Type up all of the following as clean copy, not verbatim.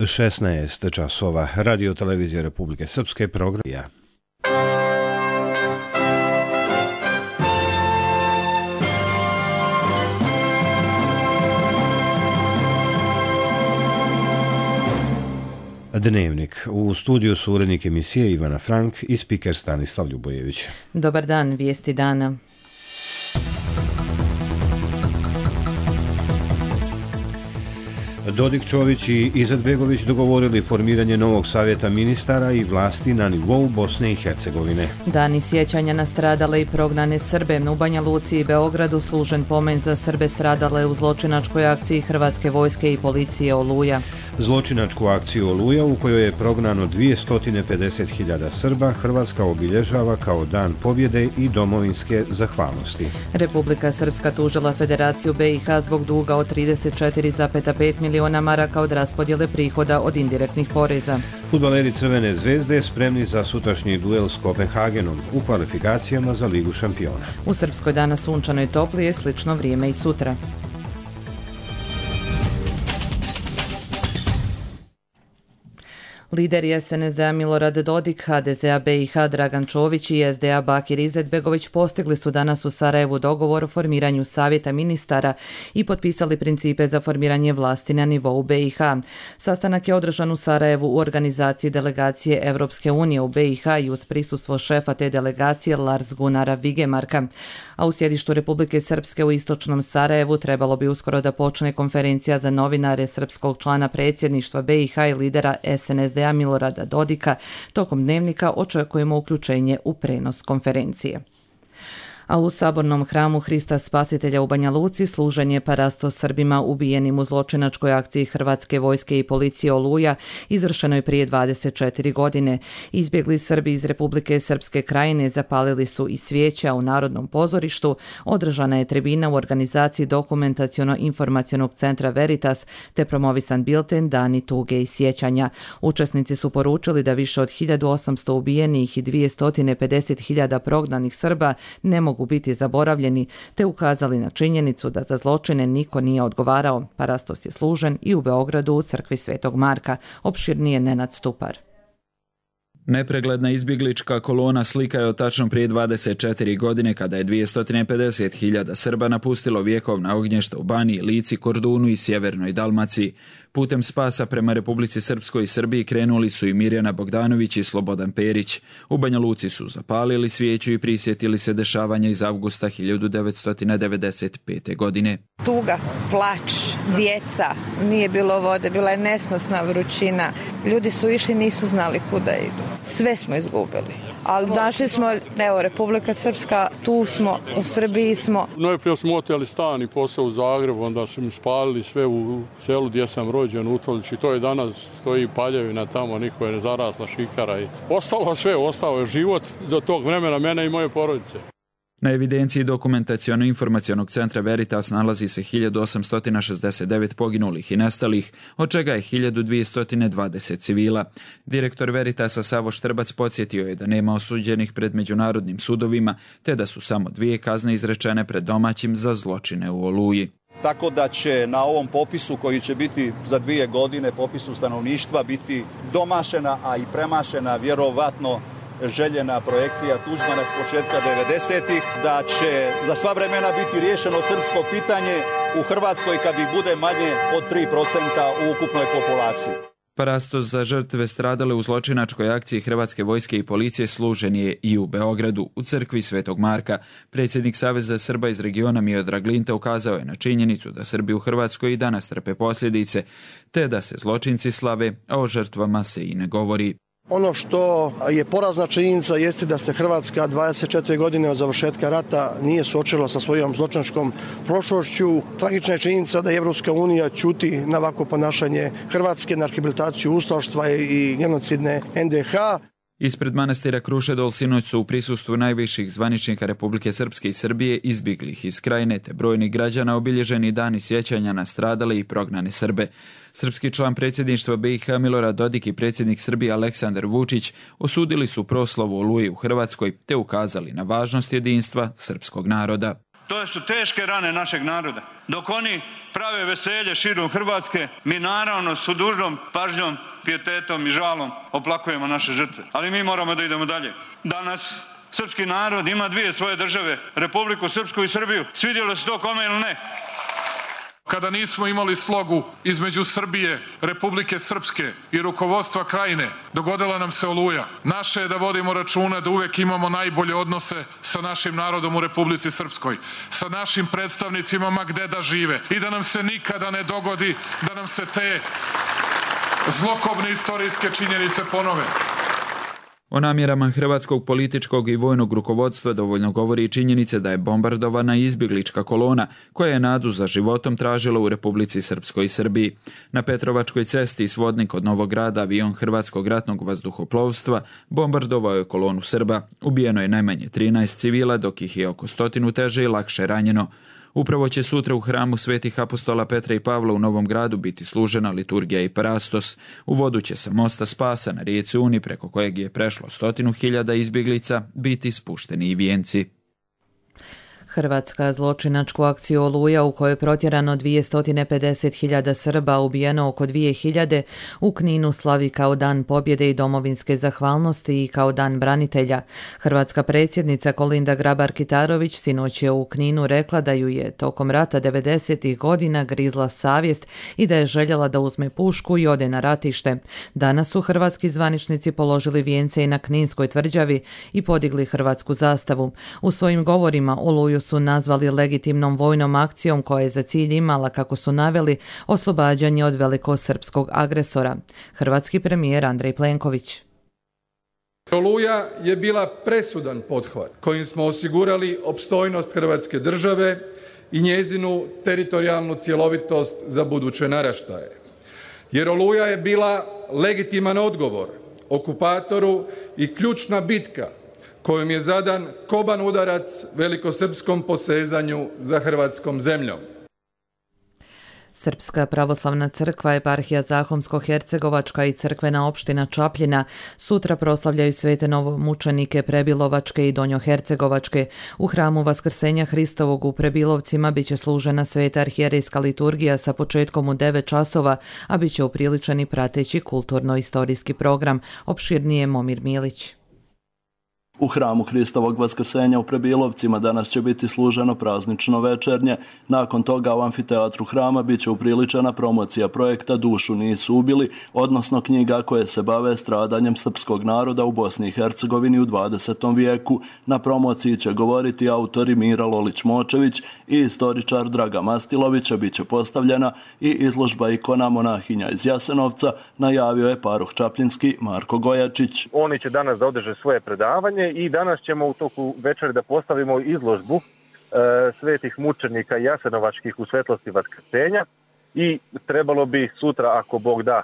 16 časova. Radio televizija Republike Srpske program. Dnevnik. U studiju su urednik emisije Ivana Frank i spiker Stanislav Ljubojević. Dobar dan, vijesti dana. Dodik, Čović i Izetbegović dogovorili formiranje novog savjeta ministara i vlasti na nivou Bosne i Hercegovine. Dani sjećanja na stradale i prognane Srbe. U Banja Luci i Beogradu služen pomen za Srbe stradale u zločinačkoj akciji Hrvatske vojske i policije Oluja. Zločinačku akciju Oluja, u kojoj je prognano 250.000 Srba, Hrvatska obilježava kao dan pobjede i domovinske zahvalnosti. Republika Srpska tužila Federaciju BiH zbog duga od 34,5 miliona maraka od raspodjele prihoda od indirektnih poreza. Fudbaleri Crvene zvezde spremni za sutrašnji duel s Kopenhagenom u kvalifikacijama za Ligu šampiona. U Srpskoj danas sunčano i toplije, slično vrijeme i sutra. Lideri SNSD-a Milorad Dodik, HDZ-a BiH Dragan Čović i SDA Bakir Izetbegović postigli su danas u Sarajevu dogovor o formiranju savjeta ministara i potpisali principe za formiranje vlasti na nivou BiH. Sastanak je održan u Sarajevu u organizaciji delegacije Evropske unije u BiH i uz prisustvo šefa te delegacije Lars Gunnara Vigemarka. A u sjedištu Republike Srpske u istočnom Sarajevu trebalo bi uskoro da počne konferencija za novinare srpskog člana predsjedništva BiH i lidera SNSD Milorada Dodika. Tokom dnevnika očekujemo uključenje u prenos konferencije. A u Sabornom hramu Hrista Spasitelja u Banja Luci služen je parasto Srbima ubijenim u zločinačkoj akciji Hrvatske vojske i policije Oluja, izvršenoj prije 24 godine. Izbjegli Srbi iz Republike Srpske krajine zapalili su i svijeća u Narodnom pozorištu, održana je tribina u organizaciji Dokumentaciono-informacionog centra Veritas te promovisan bilten Dani tuge i sjećanja. Učesnici su poručili da više od 1800 ubijenih i 250.000 prognanih Srba ne mogu biti zaboravljeni, te ukazali na činjenicu da za zločine niko nije odgovarao. Parastos je služen i u Beogradu u crkvi Svetog Marka. Opširnije Nenad Stupar. Nepregledna izbjeglička kolona slika je od tačno prije 24 godine kada je 250.000 Srba napustilo vjekovna ognješta u Baniji, Lici, Kordunu i sjevernoj Dalmaciji. Putem spasa prema Republici Srpskoj i Srbiji krenuli su i Mirjana Bogdanović i Slobodan Perić. U Banja Luci su zapalili svijeću i prisjetili se dešavanja iz avgusta 1995. godine. Tuga, plač, djeca, nije bilo vode, bila je nesnosna vrućina. Ljudi su išli, nisu znali kuda idu. Sve smo izgubili. Ali našli smo, evo, Republika Srpska, tu smo, u Srbiji smo. Najprije smo oteli stan i posao u Zagrebu, onda su mi spalili sve u selu gdje sam rođen, u Utolići. To je danas, stoji paljevina tamo, niko je ne zarasla šikara. Ostalo sve, ostao je život do tog vremena mene i moje porodice. Na evidenciji Dokumentaciono-informacionog centra Veritas nalazi se 1869 poginulih i nestalih, od čega je 1220 civila. Direktor Veritasa Savo Štrbac podsjetio je da nema osuđenih pred međunarodnim sudovima, te da su samo 2 kazne izrečene pred domaćim za zločine u Oluji. Tako da će na ovom popisu koji će biti za 2 godine, popisu stanovništva, biti domašena, a i premašena vjerovatno željena projekcija Tuđmana s početka 90-ih, da će za sva vremena biti riješeno srpsko pitanje u Hrvatskoj kad ih bude manje od 3% u ukupnoj populaciji. Parastos za žrtve stradale u zločinačkoj akciji Hrvatske vojske i policije služen je i u Beogradu, u crkvi Svetog Marka. Predsjednik Saveza Srba iz regiona Miodrag Linta ukazao je na činjenicu da Srbi u Hrvatskoj i danas trpe posljedice, te da se zločinci slave, a o žrtvama se i ne govori. Ono što je porazna činjenica jeste da se Hrvatska 24 godine od završetka rata nije suočila sa svojom zločinačkom prošlošću. Tragična je činjenica da Evropska unija ćuti na ovako ponašanje Hrvatske, na rehabilitaciju ustaštva i genocidne NDH. Ispred manastira Krušedol sinoć su u prisustvu najviših zvaničnika Republike Srpske i Srbije, izbjeglih iz Krajine te brojnih građana obilježeni dani sjećanja na stradale i prognane Srbe. Srpski član predsjedništva BiH Milorad Dodik i predsjednik Srbije Aleksandar Vučić osudili su proslavu Oluje u Hrvatskoj te ukazali na važnost jedinstva srpskog naroda. To su teške rane našeg naroda. Dok oni prave veselje širom Hrvatske, mi naravno s dužnom pažnjom, pijetetom i žalom oplakujemo naše žrtve. Ali mi moramo da idemo dalje. Danas srpski narod ima dvije svoje države, Republiku Srpsku i Srbiju. Svidjelo se to kome ili ne? Kada nismo imali slogu između Srbije, Republike Srpske i rukovodstva Krajine, dogodila nam se Oluja. Naše je da vodimo računa da uvek imamo najbolje odnose sa našim narodom u Republici Srpskoj, sa našim predstavnicima ma gde da žive i da nam se nikada ne dogodi da nam se te zlokobne istorijske činjenice ponove. O namjerama hrvatskog političkog i vojnog rukovodstva dovoljno govori i činjenice da je bombardovana izbjeglička kolona koja je nadu za životom tražila u Republici Srpskoj i Srbiji. Na Petrovačkoj cesti iz Vodnik od Novog Grada avion Hrvatskog ratnog vazduhoplovstva bombardovao je kolonu Srba. Ubijeno je najmanje 13 civila, dok ih je oko 100 teže i lakše ranjeno. Upravo će sutra u hramu Svetih apostola Petra i Pavla u Novom Gradu biti služena liturgija i parastos. U vodu će sa mosta Spasa na rijeci Uni, preko kojeg je prešlo 100.000 izbjeglica, biti spušteni i vijenci. Hrvatska zločinačku akciju Oluja u kojoj je protjerano 250.000 Srba, ubijeno oko 2.000, u Kninu slavi kao Dan pobjede i domovinske zahvalnosti i kao Dan branitelja. Hrvatska predsjednica Kolinda Grabar-Kitarović sinoć je u Kninu rekla da ju je tokom rata 90. godina grizla savjest i da je željela da uzme pušku i ode na ratište. Danas su hrvatski zvaničnici položili vijence i na Kninskoj tvrđavi i podigli hrvatsku zastavu. U svojim govorima Oluju su nazvali legitimnom vojnom akcijom koja je za cilj imala, kako su naveli, oslobađanje od velikosrpskog agresora. Hrvatski premijer Andrej Plenković. Oluja je bila presudan pothvat kojim smo osigurali opstojnost Hrvatske države i njezinu teritorijalnu cjelovitost za buduće naraštaje. Jer Oluja je bila legitiman odgovor okupatoru i ključna bitka kojom je zadan koban udarac velikosrpskom posezanju za hrvatskom zemljom. Srpska pravoslavna crkva, eparhija Zahomsko-Hercegovačka i crkvena opština Čapljina sutra proslavljaju svete novomučenike Prebilovačke i Donjohercegovačke. U hramu Vaskrsenja Hristovog u Prebilovcima biće služena sveta arhijerejska liturgija sa početkom u 9 časova, a biće upriličen i prateći kulturno-istorijski program. Opširnije Momir Milić. U hramu Hristovog Vaskrsenja u Prebilovcima danas će biti služeno praznično večernje. Nakon toga u amfiteatru hrama bit će upriličena promocija projekta Dušu nisu ubili, odnosno knjiga koje se bave stradanjem srpskog naroda u Bosni i Hercegovini u 20. vijeku. Na promociji će govoriti autori Mira Lolić-Močević i istoričar Draga Mastilović, a bit će postavljena i izložba ikona monahinja iz Jasenovca, najavio je paruh čapljinski Marko Gojačić. Oni će danas da održe svoje predavanje i danas ćemo u toku večeri da postavimo izložbu svetih mučenika jasenovačkih u svetlosti Vaskrsenja i trebalo bi sutra, ako Bog da,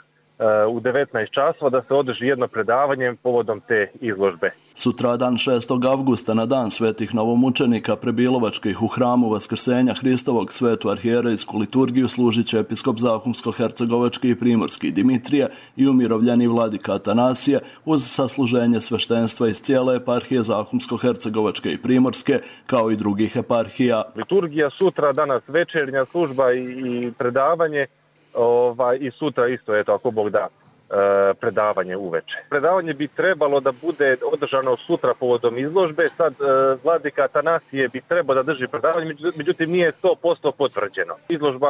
u 19 časova da se održi jedno predavanje povodom te izložbe. Sutradan 6. avgusta na dan svetih novomučenika Prebilovačkih u hramu Vaskrsenja Hristovog svetu arhijerejsku liturgiju služit će episkop Zahumsko-Hercegovački i Primorski Dimitrije i umirovljeni vladika Atanasije uz sasluženje sveštenstva iz cijele eparhije Zahumsko-Hercegovačke i Primorske kao i drugih eparhija. Liturgija sutra, danas večernja služba i predavanje i sutra isto, eto, ako Bog da, predavanje uveče. Predavanje bi trebalo da bude održano sutra povodom izložbe. Sad vladika Atanasije bi trebao da drži predavanje, međutim nije 100% potvrđeno. Izložba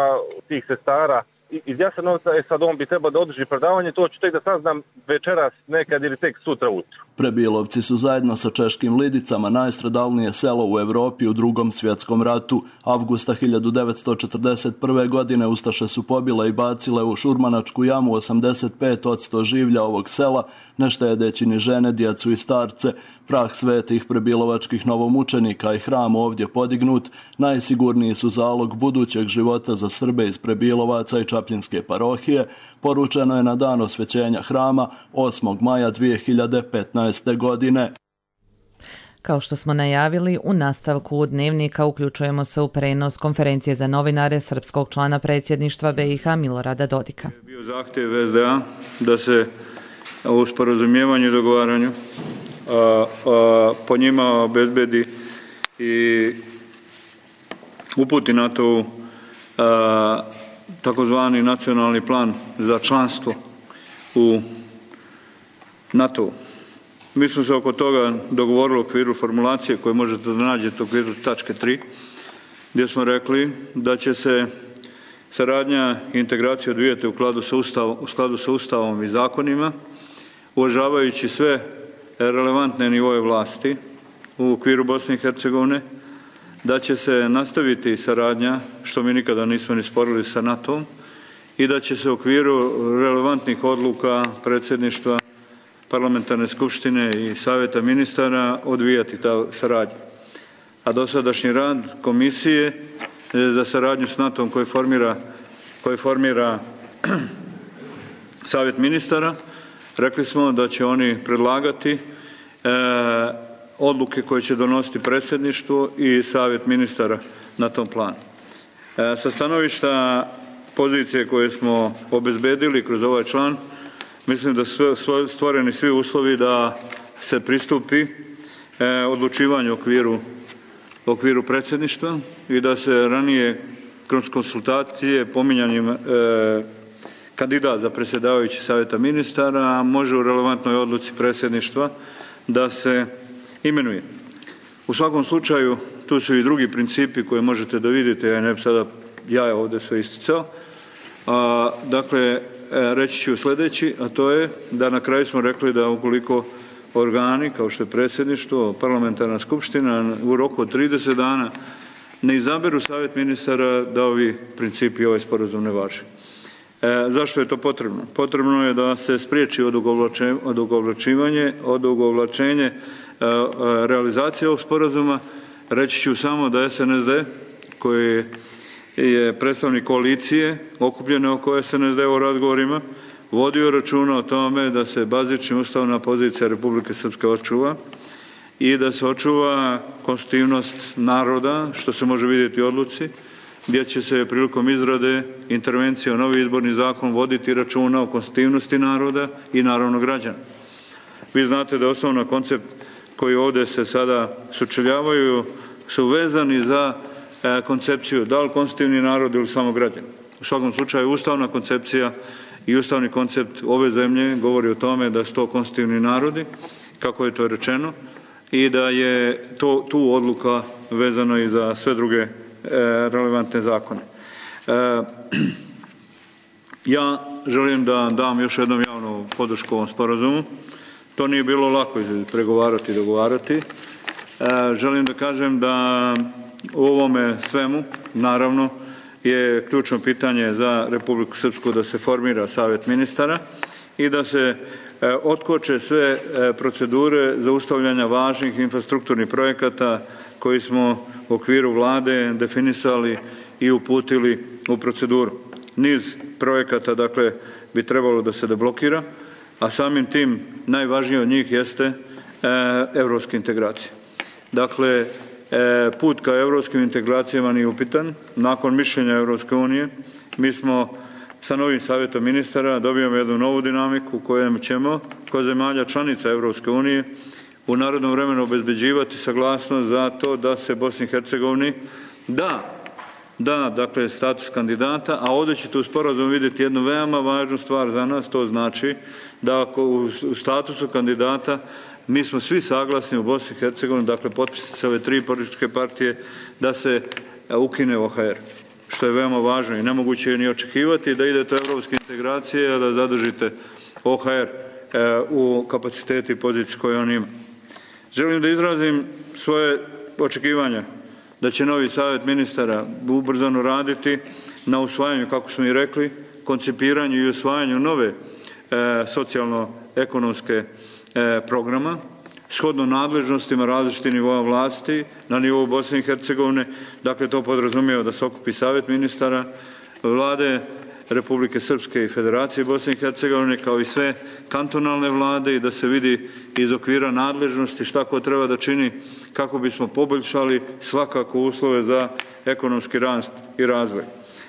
tih sestara iz Jasenovca, sad on bi trebao da održi predavanje, to ću tek da saznam večeras nekad ili tek sutra ujutro. Prebilovci su zajedno sa češkim Lidicama najstradalnije selo u Evropi u Drugom svjetskom ratu. Avgusta 1941. godine ustaše su pobile i bacile u Šurmanačku jamu 85% življa ovog sela, ne štedeći ni žene, djecu i starce. Prah svetih prebilovačkih novomučenika i hram ovdje podignut najsigurniji su zalog budućeg života za Srbe iz Prebilovaca i Čapljinske parohije, poručeno je na dan osvećenja hrama 8. maja 2015. godine. Kao što smo najavili, u nastavku Dnevnika uključujemo se u prenos konferencije za novinare srpskog člana predsjedništva BiH Milorada Dodika. Bio zahtjev SDA da se u sporazumijevanju i dogovaranju po njima obezbedi i uputi NATO takozvani nacionalni plan za članstvo u NATO. Mi smo se oko toga dogovorili u okviru formulacije koje možete da nađete u okviru tačke 3, gdje smo rekli da će se saradnja i integracija odvijati u skladu sa Ustavom i zakonima, uvažavajući sve relevantne nivoje vlasti u okviru Bosne i Hercegovine, da će se nastaviti saradnja, što mi nikada nismo ni sporili sa NATO-om, i da će se u okviru relevantnih odluka predsjedništva Parlamentarne skupštine i Savjeta ministara odvijati ta saradnja. A dosadašnji rad komisije za saradnju s NATO-om koji formira Savjet ministara, rekli smo da će oni predlagati odluke koje će donositi predsjedništvo i Savjet ministara na tom planu. Sa stanovišta pozicije koje smo obezbedili kroz ovaj član, mislim da su stvoreni svi uslovi da se pristupi odlučivanju u okviru predsjedništva i da se ranije kroz konsultacije pominjanjem kandidat za predsjedavajući Savjeta ministara može u relevantnoj odluci predsjedništva da se imenuje. U svakom slučaju tu su i drugi principi koje možete da vidite, ja ne bi sada ovdje sve isticao. Dakle, reći ću sljedeći, a to je da na kraju smo rekli da ukoliko organi kao što je predsjedništvo, parlamentarna skupština u roku od 30 dana ne izaberu Savjet ministara, da ovi principi i ovaj sporazum ne važe. Zašto je to potrebno? Potrebno je da se spriječi odugovlačenje realizacije ovog sporazuma. Reći ću samo da SNSD, koji je predstavnik koalicije okupljene oko SNSD u razgovorima, vodio računa o tome da se bazična ustavna pozicija Republike Srpske očuva i da se očuva konstitutivnost naroda, što se može vidjeti u odluci, gdje će se prilikom izrade intervencije u novi izborni zakon voditi računa o konstitutivnosti naroda i naravno građana. Vi znate da je osnovna koncept koji ovdje se sada sučeljavaju su vezani za koncepciju da li konstitutivni narod ili samo građani. U svakom slučaju ustavna koncepcija i ustavni koncept ove zemlje govori o tome da su to konstitutivni narodi, kako je to rečeno, i da je tu odluka vezano i za sve druge relevantne zakone. Ja želim da dam još jednom javnu podršku ovom sporazumu. To nije bilo lako pregovarati i dogovarati. Želim da kažem da u ovome svemu, naravno, je ključno pitanje za Republiku Srpsku da se formira Savjet ministara i da se otkoče sve procedure zaustavljanja važnih infrastrukturnih projekata koji smo u okviru Vlade definisali i uputili u proceduru. Niz projekata, dakle, bi trebalo da se deblokira, a samim tim najvažnije od njih jeste evropske integracije. Dakle, put ka evropskim integracijama nije upitan. Nakon mišljenja Evropske unije, mi smo sa novim Savjetom ministara dobijamo jednu novu dinamiku kojem ćemo, kod zemalja članica Evropske unije, u narednom vremenu obezbeđivati saglasnost za to da se Bosni i Hercegovini da, dakle, status kandidata, a ovdje ćete u sporazumu vidjeti jednu veoma važnu stvar za nas, to znači da ako u statusu kandidata mi smo svi saglasni u Bosni i Hercegovini, dakle potpisnice ove 3 političke partije, da se ukine OHR, što je veoma važno i nemoguće je ni očekivati da idete u evropske integracije, a da zadržite OHR u kapaciteti i poziciji koju on ima. Želim da izrazim svoje očekivanja da će novi Savjet ministara ubrzano raditi na usvajanju, kako smo i rekli, koncipiranju i usvajanju nove socijalno-ekonomske programa, shodno nadležnostima različitih nivoa vlasti na nivou Bosne i Hercegovine. Dakle, to podrazumijeva da se okupi Savjet ministara, Vlade Republike Srpske i Federacije Bosne i Hercegovine, kao i sve kantonalne vlade, i da se vidi iz okvira nadležnosti šta ko treba da čini kako bismo poboljšali svakako uslove za ekonomski rast i razvoj.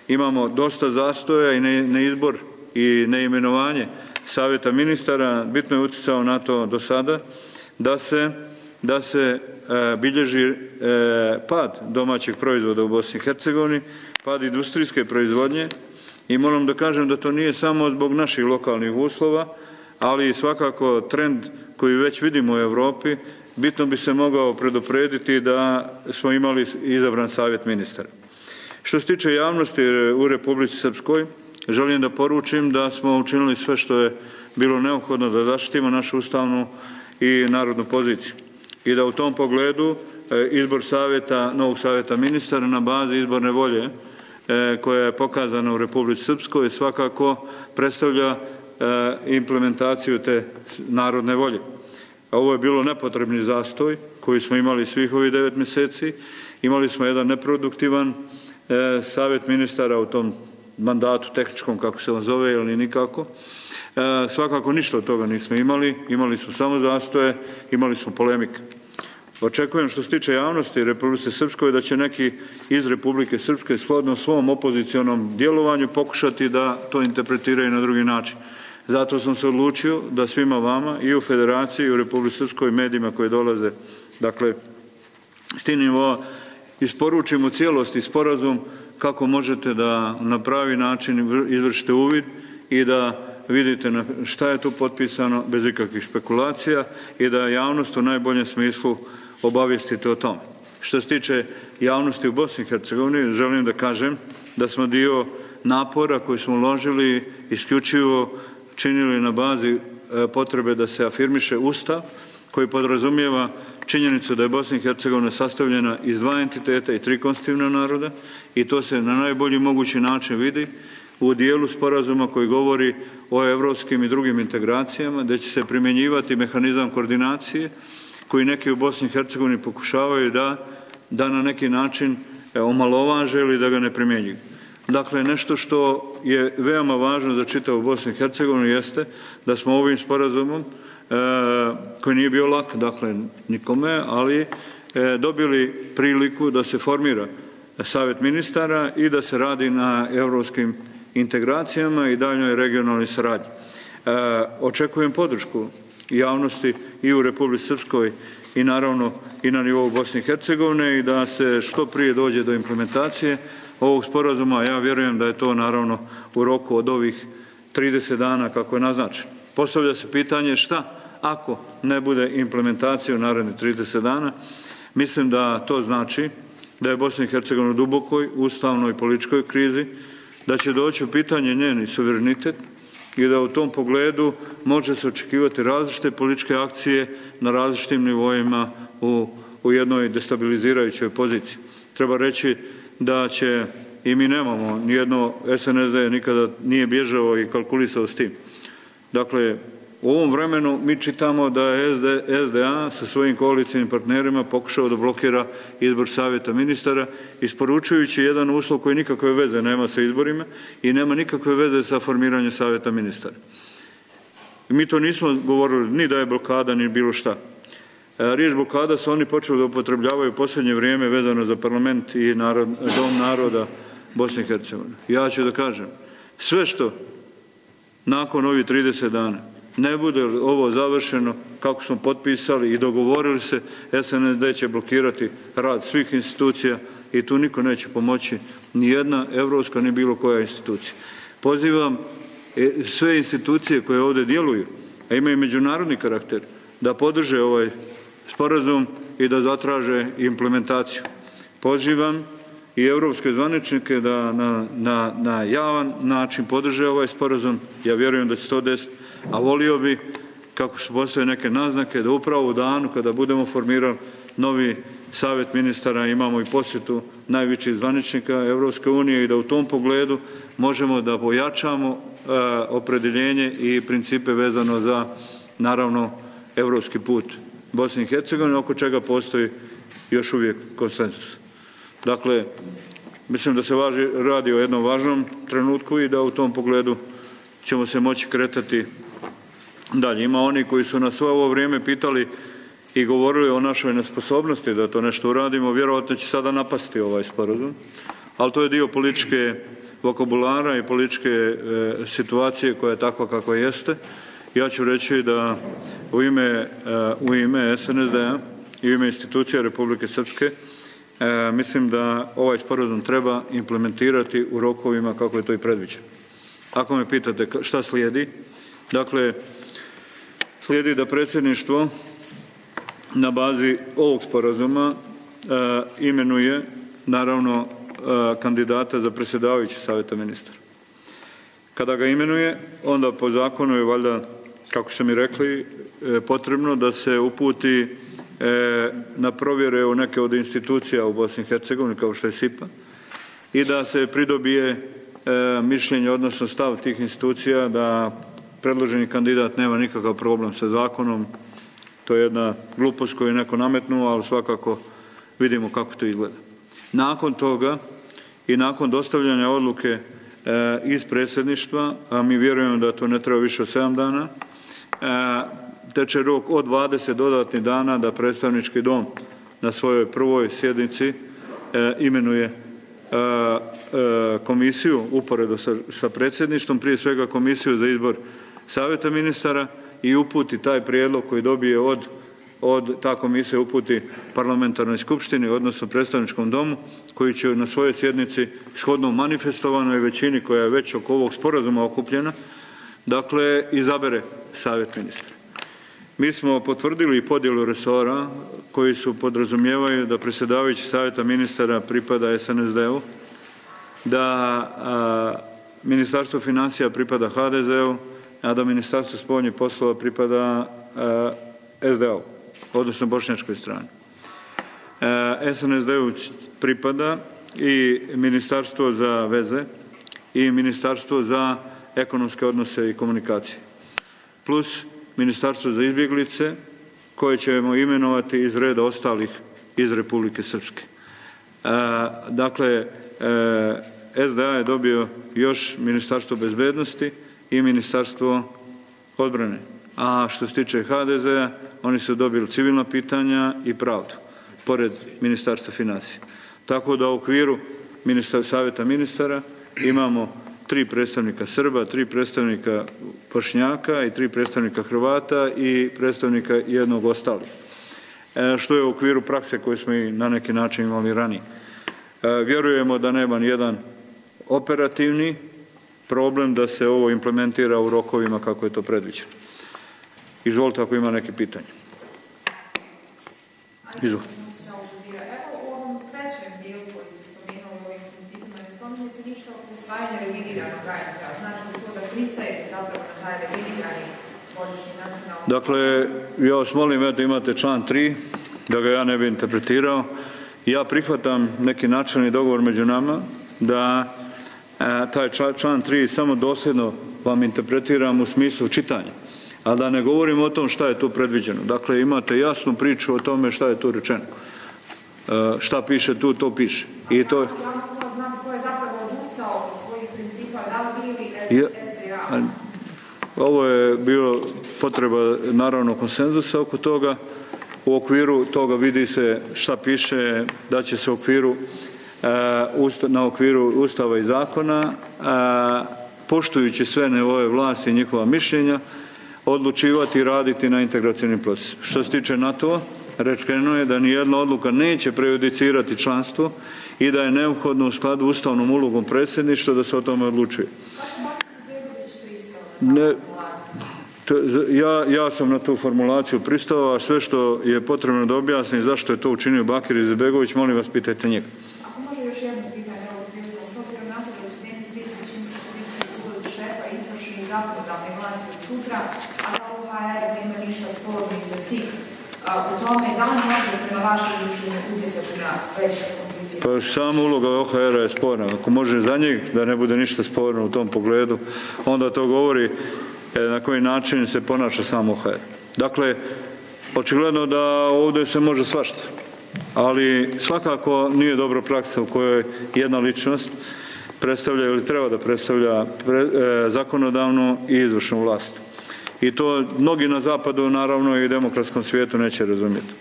Imamo dosta zastoja i neizbor i neimenovanje Savjeta ministara bitno je utjecao na to do sada da se bilježi pad domaćeg proizvoda u Bosni i Hercegovini, pad industrijske proizvodnje i moram da kažem da to nije samo zbog naših lokalnih uslova, ali svakako trend koji već vidimo u Europi, bitno bi se mogao preduprediti da smo imali izabran savjet ministara. Što se tiče javnosti u Republici Srpskoj, želim da poručim da smo učinili sve što je bilo neophodno da zaštitimo našu ustavnu i narodnu poziciju. I da u tom pogledu izbor novog savjeta ministara na bazi izborne volje koja je pokazana u Republici Srpskoj svakako predstavlja implementaciju te narodne volje. Ovo je bilo nepotrebni zastoj koji smo imali svih ovih 9 mjeseci. Imali smo jedan neproduktivan savjet ministara u tom mandatu tehničkom, kako se on zove, ili nikako. Svakako ništa od toga nismo imali. Imali smo samo zastoje, imali smo polemike. Očekujem što se tiče javnosti Republike Srpskoj da će neki iz Republike Srpske shodno svom opozicionom djelovanju pokušati da to interpretiraju na drugi način. Zato sam se odlučio da svima vama i u Federaciji i u Republike Srpskoj medijima koji dolaze, dakle, s tim nivoa isporučim u cijelosti sporazum kako možete da na pravi način izvršite uvid i da vidite šta je tu potpisano bez ikakvih špekulacija i da javnost u najboljem smislu obavijestite o tome. Što se tiče javnosti u Bosni i Hercegovini, želim da kažem da smo dio napora koji smo uložili isključivo činili na bazi potrebe da se afirmiše Ustav koji podrazumijeva činjenicu da je Bosna i Hercegovina sastavljena iz 2 entiteta i 3 konstitutivna naroda i to se na najbolji mogući način vidi u dijelu sporazuma koji govori o evropskim i drugim integracijama, da će se primjenjivati mehanizam koordinacije koji neki u Bosni i Hercegovini pokušavaju da na neki način omalovaže ili da ga ne primjenjuju. Dakle, nešto što je veoma važno za čitavu Bosnu i Hercegovinu jeste da smo ovim sporazumom, koji nije bio lak, dakle, nikome, ali dobili priliku da se formira savjet ministara i da se radi na evropskim integracijama i daljnjoj regionalnoj saradnji. Očekujem podršku javnosti i u Republici Srpskoj i naravno i na nivou Bosne i Hercegovine i da se što prije dođe do implementacije ovog sporazuma. Ja vjerujem da je to naravno u roku od ovih 30 dana kako je naznačeno. Postavlja se pitanje šta ako ne bude implementacija u narednih 30 dana. Mislim da to znači da je Bosna i Hercegovina u dubokoj ustavnoj i političkoj krizi, da će doći u pitanje njeni suverenitet i da u tom pogledu može se očekivati različite političke akcije na različitim nivoima u jednoj destabilizirajućoj poziciji. Treba reći da će, i mi nemamo, nijedno SNSD nikada nije bježao i kalkulisao s tim. Dakle, u ovom vremenu mi čitamo da je SDA sa svojim koalicijnim partnerima pokušao da blokira izbor savjeta ministara, isporučujući jedan uslov koji nikakve veze nema sa izborima i nema nikakve veze sa formiranjem savjeta ministara. Mi to nismo govorili ni da je blokada, ni bilo šta. Riječ blokada su oni počeli da upotrebljavaju u posljednje vrijeme vezano za parlament i dom naroda Bosne i Hercegovine. Ja ću da kažem, sve što nakon ovih 30 dana ne bude ovo završeno kako smo potpisali i dogovorili se, SNSD će blokirati rad svih institucija i tu niko neće pomoći, ni jedna evropska, ni bilo koja institucija. Pozivam sve institucije koje ovdje djeluju, a imaju međunarodni karakter, da podrže ovaj sporazum i da zatraže implementaciju. Pozivam i evropske zvaničnike da na javan način podrže ovaj sporazum. Ja vjerujem da će to desiti, a volio bi, kako su postoje neke naznake, da upravo u danu kada budemo formirali novi savjet ministara imamo i posjetu najvećih zvaničnika Evropske unije i da u tom pogledu možemo da pojačamo opredjeljenje i principe vezano za, naravno, evropski put Bosne i Hercegovine, oko čega postoji još uvijek konsenzus. Dakle, mislim da se radi o jednom važnom trenutku i da u tom pogledu ćemo se moći kretati dalje. Ima oni koji su nas svo ovo vrijeme pitali i govorili o našoj nesposobnosti da to nešto uradimo, vjerojatno će sada napasti ovaj sporazum, ali to je dio političke vokabulara i političke situacije koja je takva kakva jeste. Ja ću reći da u ime SNSD-a i u ime institucija Republike Srpske mislim da ovaj sporazum treba implementirati u rokovima kako je to i predviđeno. Ako me pitate šta slijedi, dakle, slijedi da predsjedništvo na bazi ovog sporazuma imenuje naravno kandidata za predsjedavajući Savjeta ministara. Kada ga imenuje, onda po zakonu je valjda, kako su mi rekli, potrebno da se uputi na provjere u neke od institucija u Bosni i Hercegovini, kao što je SIPA, i da se pridobije mišljenje, odnosno stav tih institucija da predloženi kandidat nema nikakav problem sa zakonom. To je jedna glupost koju je neko nametnuo, ali svakako vidimo kako to izgleda. Nakon toga i nakon dostavljanja odluke iz predsjedništva, a mi vjerujemo da to ne treba više od 7 dana, teče rok od 20 dodatnih dana da predstavnički dom na svojoj prvoj sjednici imenuje komisiju uporedo sa predsjedništvom, prije svega komisiju za izbor Savjeta ministara, i uputi taj prijedlog koji dobije od ta komisija uputi parlamentarnoj skupštini, odnosno predstavničkom domu, koji će na svojoj sjednici shodno manifestovanoj većini koja je već oko ovog sporazuma okupljena, dakle, izabere Savjet ministra. Mi smo potvrdili podjelu resora koji su podrazumijevaju da predsjedavajući Savjeta ministara pripada SNSD-u, da Ministarstvo financija pripada HDZ-u, a da Ministarstvo spoljnih poslova pripada SDA-u, odnosno bošnjačkoj strani. SNSD-u pripada i Ministarstvo za veze i Ministarstvo za ekonomske odnose i komunikacije, plus Ministarstvo za izbjeglice, koje ćemo imenovati iz reda ostalih iz Republike Srpske. Dakle, SDA je dobio još Ministarstvo bezbednosti i Ministarstvo odbrane. A što se tiče HDZ-a, oni su dobili civilna pitanja i pravdu, pored Ministarstva financija. Tako da u okviru Savjeta ministara imamo 3 predstavnika Srba, 3 predstavnika Bošnjaka i 3 predstavnika Hrvata i predstavnika jednog ostalih. Što je u okviru prakse koju smo i na neki način imali ranije. Vjerujemo da nema nijedan operativni problem da se ovo implementira u rokovima kako je to predviđeno. Izvolite ako ima neke pitanje. Izvolite. Evo u ovom trećem dijelu koji ste spomenuli u ovim principima ne spominje se ništa o usvajanju revidiranog HRT-a. Znači to da pristajete zapravo na taj revidirani godišnji nacionalni... Dakle, ja vas molim da imate član 3, da ga ja ne bi interpretirao. Ja prihvatam neki načelni dogovor među nama da taj član 3 samo dosljedno vam interpretiram u smislu čitanja, a da ne govorim o tom šta je tu predviđeno. Dakle, imate jasnu priču o tome šta je tu rečeno. Šta piše tu, to piše. I to je... Znam ko je zapravo odustao od svojih principa, da li bili SDA? Ovo je bilo potreba naravno konsenzusa oko toga. U okviru toga vidi se šta piše, da će se na okviru Ustava i zakona, poštujući sve nivoe vlasti i njihova mišljenja, odlučivati i raditi na integracijnim procesima. Što se tiče NATO-a, rečeno je da nijedna odluka neće prejudicirati članstvo i da je neophodno u skladu ustavnom ulogom predsjedništva da se o tome odlučuje. Ja sam na tu formulaciju pristao, a sve što je potrebno da objasnim zašto je to učinio Bakir Izetbegović, molim vas, pitajte njega. Ako može još jedno pitanje, s obzirom na to da će Denis Vidić biti ulozi šefa izvršne i zakonodavne vlasti od sutra, a da OHR nema ništa sporno i za CIK u tome, da li može prema vašem mišljenju utjecati na veće komplicije? Pa sama uloga OHR-a je sporna. Ako može za njih da ne bude ništa sporno u tom pogledu, onda to govori na koji način se ponaša sam OHR. Dakle, očigledno da ovdje se može svašta, ali svakako nije dobra praksa u kojoj jedna ličnost predstavlja ili treba da predstavlja zakonodavnu i izvršnu vlast. I to mnogi na zapadu, naravno i demokratskom svijetu, neće razumjeti.